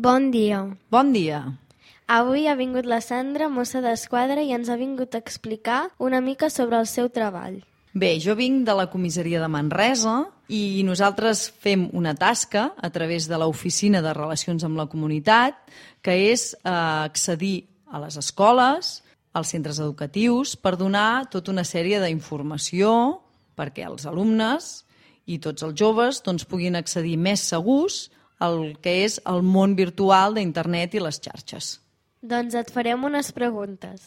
Bon dia. Bon dia. Avui ha vingut la Sandra, mossa d'esquadra, i ens ha vingut a explicar una mica sobre el seu treball. Bé, jo vinc de la comissaria de Manresa i nosaltres fem una tasca a través de l'Oficina de Relacions amb la Comunitat, que és accedir a les escoles, als centres educatius, per donar tota una sèrie d'informació perquè els alumnes i tots els joves puguin accedir més segurs al que és el món virtual d'internet i les xarxes. Doncs et farem unes preguntes.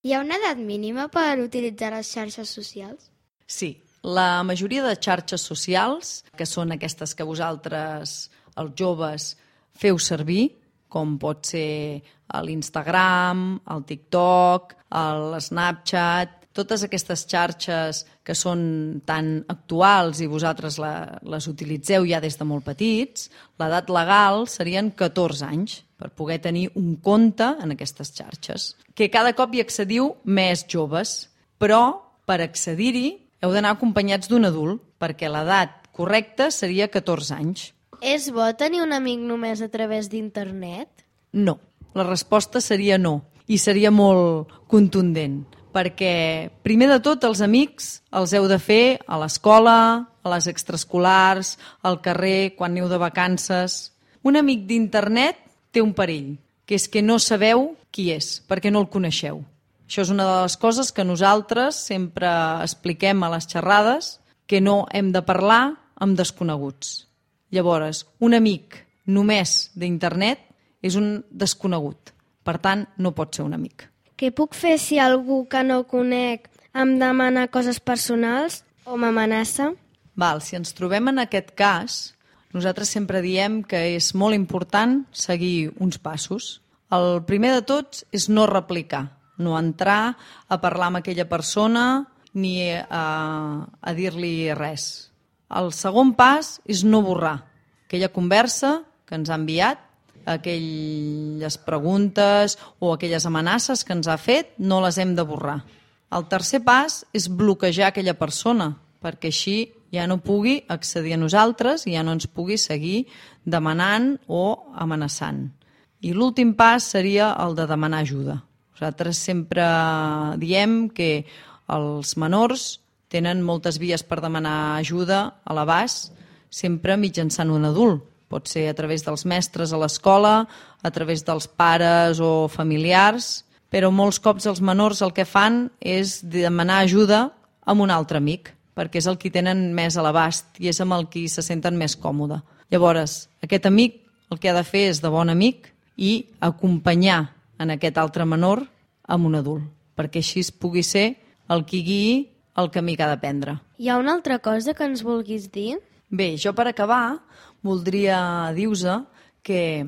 Hi ha una edat mínima per utilitzar les xarxes socials? Sí, la majoria de xarxes socials, que són aquestes que vosaltres, els joves, feu servir, com pot ser l'Instagram, el TikTok, l'Snapchat, totes aquestes xarxes que són tan actuals i vosaltres les utilitzeu ja des de molt petits, l'edat legal serien 14 anys per poder tenir un compte en aquestes xarxes. Que cada cop hi accediu més joves, però per accedir-hi heu d'anar acompanyats d'un adult, perquè l'edat correcta seria 14 anys. És bo tenir un amic només a través d'internet? No, la resposta seria no, i seria molt contundent, perquè primer de tot els amics els heu de fer a l'escola, a les extraescolars, al carrer, quan aneu de vacances. Un amic d'internet té un perill, que és que no sabeu qui és, perquè no el coneixeu. Això és una de les coses que nosaltres sempre expliquem a les xerrades, que no hem de parlar amb desconeguts. Llavors, un amic només d'internet és un desconegut. Per tant, no pot ser un amic. Què puc fer si algú que no conec em demana coses personals o m'amenaça? Si ens trobem en aquest cas, nosaltres sempre diem que és molt important seguir uns passos. El primer de tots és no replicar, no entrar a parlar amb aquella persona ni a dir-li res. El segon pas és no borrar aquella conversa que ens ha enviat, aquelles preguntes o aquelles amenaces que ens ha fet, no les hem de borrar. El tercer pas és bloquejar aquella persona, perquè així ja no pugui accedir a nosaltres i ja no ens pugui seguir demanant o amenaçant. I l'últim pas seria el de demanar ajuda. Nosaltres sempre diem que els menors tenen moltes vies per demanar ajuda a l'abast, sempre mitjançant un adult. Pot ser a través dels mestres a l'escola, a través dels pares o familiars, però molts cops els menors el que fan és demanar ajuda amb un altre amic, perquè és el que tenen més a l'abast i és amb el qui se senten més còmode. Llavors, aquest amic el que ha de fer és de bon amic i acompanyar en aquest altre menor amb un adult, perquè així pugui ser el qui guiï el camí que ha de prendre. Hi ha una altra cosa que ens vulguis dir? Bé, jo per acabar voldria dir-vos que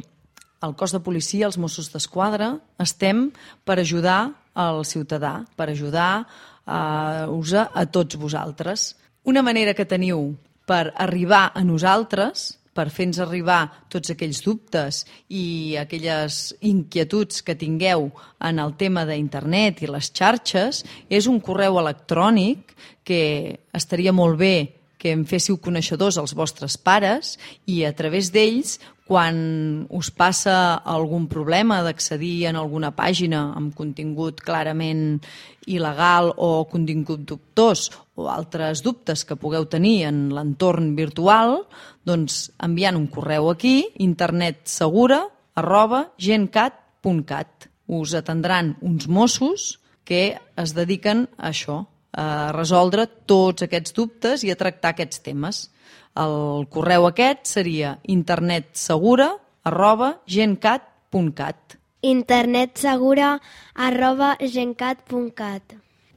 el cos de policia, els Mossos d'Esquadra, estem per ajudar al ciutadà, per ajudar-vos a tots vosaltres. Una manera que teniu per arribar a nosaltres, per fer-nos arribar tots aquells dubtes i aquelles inquietuds que tingueu en el tema d'internet i les xarxes, és un correu electrònic que estaria molt bé que em féssiu coneixedors als vostres pares i a través d'ells, quan us passa algun problema d'accedir en alguna pàgina amb contingut clarament il·legal o contingut dubtós o altres dubtes que pugueu tenir en l'entorn virtual, doncs enviant un correu aquí, internetsegura@gencat.cat. Us atendran uns Mossos que es dediquen a això, a resoldre tots aquests dubtes i a tractar aquests temes. El correu aquest seria internetsegura@gencat.cat. internetsegura@gencat.cat.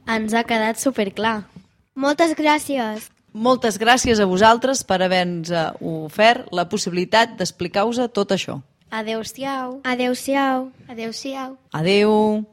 Ens ha quedat superclar. Moltes gràcies. Moltes gràcies a vosaltres per haver-nos ofert la possibilitat d'explicar-vos tot això. Adéu-siau. Adéu-siau. Adéu-siau. Adéu.